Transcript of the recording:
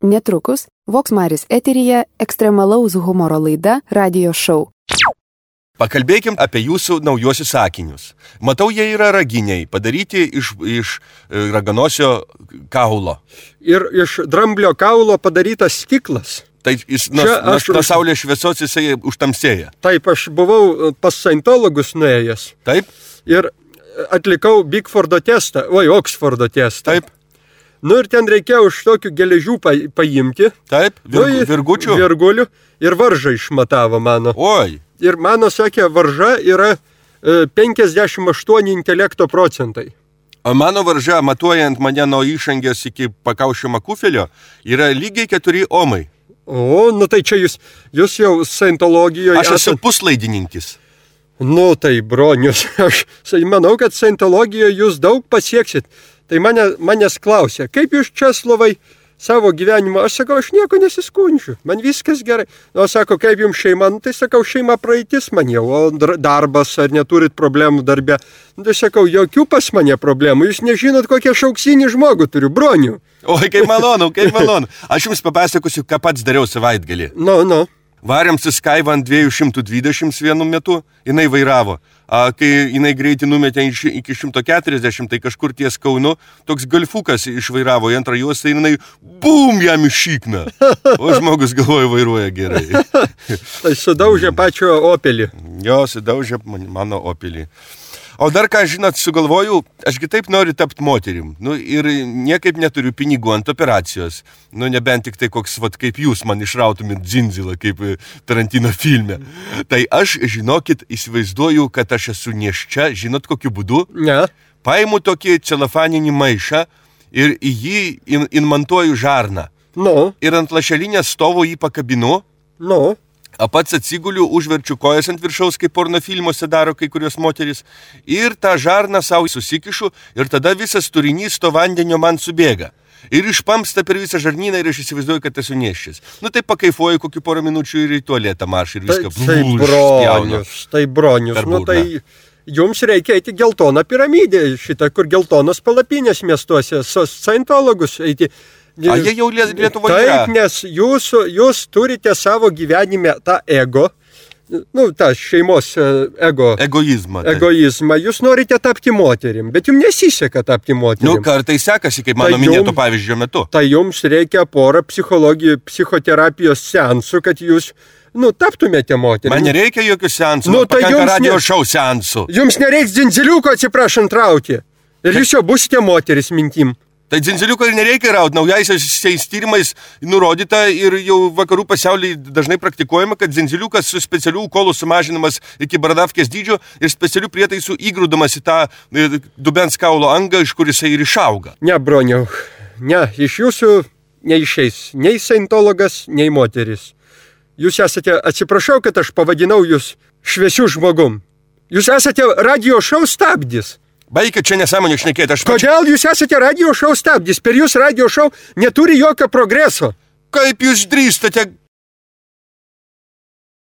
Netrukus Voksmaris eteryje ekstremalaus humoro laida Radio Show. Pakalbėkim apie jūsų naujosius sakinius. Matau, jie yra raginiai, padaryti iš raganosio kaulo. Ir iš dramblio kaulo padarytas stiklas. Tai jis nuo saulės šviesos jisai užtamsėja. Taip, aš buvau pas scientologus nuėjęs. Taip. Ir atlikau Bigfordo testą, Oksfordo testą. Taip. Ir ten reikėjo už tokių geležių paimti. Taip, virgučių. Virgulių ir varžą išmatavo mano. Oi. Ir mano, sakė, varža yra 58 intelekto procentai. O mano varža, matuojant mane nuo išangės iki pakaušio makufelio, yra lygiai 4 omai. O, tai čia jūs jau scientologijoje... Aš esu puslaidininkis. Tai bronius, aš manau, kad scientologijoje jūs daug pasieksit. Tai manęs klausė, kaip jūs, Česlovai, savo gyvenimą? Aš sakau, aš nieko nesiskundžiu, man viskas gerai. O sako, kaip jums šeima? Tai sakau, šeima praeitis man jau, o darbas, ar neturit problemų darbe? Tai sakau, jokių pas mane problemų, jūs nežinot, kokią šauksinį žmogų turiu, bronių. Oi, kaip malonu, kaip malonu. Aš jums papasakosiu, ką pats dariau savaitgalį. Varėm su Skaiva ant 220 vienu metu, jinai vairavo. Kai jinai greitį numetė iki 140, tai kažkur ties Kaunu, toks golfukas išvairavo į antrą juostą ir jinai bum jam iššykna. O žmogus galvoja vairuoja gerai. Tai sudaužė pačio Opelį. Jo, sudaužė mano Opelį. O dar ką, žinot, sugalvojau, ašgi taip noriu tapti moterim. Ir niekaip neturiu pinigų ant operacijos. Nebent tik tai koks, kaip jūs man išrautumėt dzindzilą, kaip Tarantino filme. Tai aš, žinokit, įsivaizduoju, kad aš esu nėščia, žinot kokiu būdu? Ne. Paimu tokį celofaninį maišą ir į jį inmontuoju žarną. Ir ant lašelinės stovo jį pakabinu. O pats atsiguliu, užverčiu kojas ant viršaus, kaip porno filmuose daro kai kurios moterys, ir tą žarną savo susikišu, ir tada visas turinys to vandenio man subėga. Ir išpamsta per visą žarnyną ir aš įsivaizduoju, kad esu nėščias. Tai pakaifuoju kokį porą minučių ir į tualetą marš ir viską spjaunu. Tai bronius, tai jums reikia eiti geltoną piramidę, šitą, kur geltonos palapinės miestuose, scientologus eiti. Jie jau Lietuvoje yra. Taip, nes jūs turite savo gyvenime tą ego, tą šeimos egoizmą. Egoizmą. Jūs norite tapti moterim, bet jums nesiseka tapti moterim. Kartais sekasi, kaip mano minėto pavyzdžio metu. Tai jums reikia porą psichoterapijos seansų, kad jūs taptumėte moterim. Man nereikia jokių seansų, pakanka radio šou seansų. Jums nereiks dzindziliuko, atsiprašant, rauti. Ir jūs jau busite moteris mintim. Tai dzindziliuko ir nereikia rauti. Naujaisiais tyrimais nurodyta ir jau vakarų pasaulyje dažnai praktikuojama, kad dzindziliukas su specialių kolų sumažinamas iki bradavkės dydžio ir specialių prietaisų įgrūdamas į tą dubens kaulo angą, iš kur jisai ir išauga. Ne, broniau, iš jūsų neišeis nei scientologas, nei moteris. Jūs esate, atsiprašau, kad aš pavadinau jūs šviesių žmogum. Jūs esate radio šou stabdis. Baikit čia nesąmonę šnekėti. Kodėl jūs esate radio šou stabdis? Per jūs radio šou neturi jokio progreso. Kaip jūs drįstate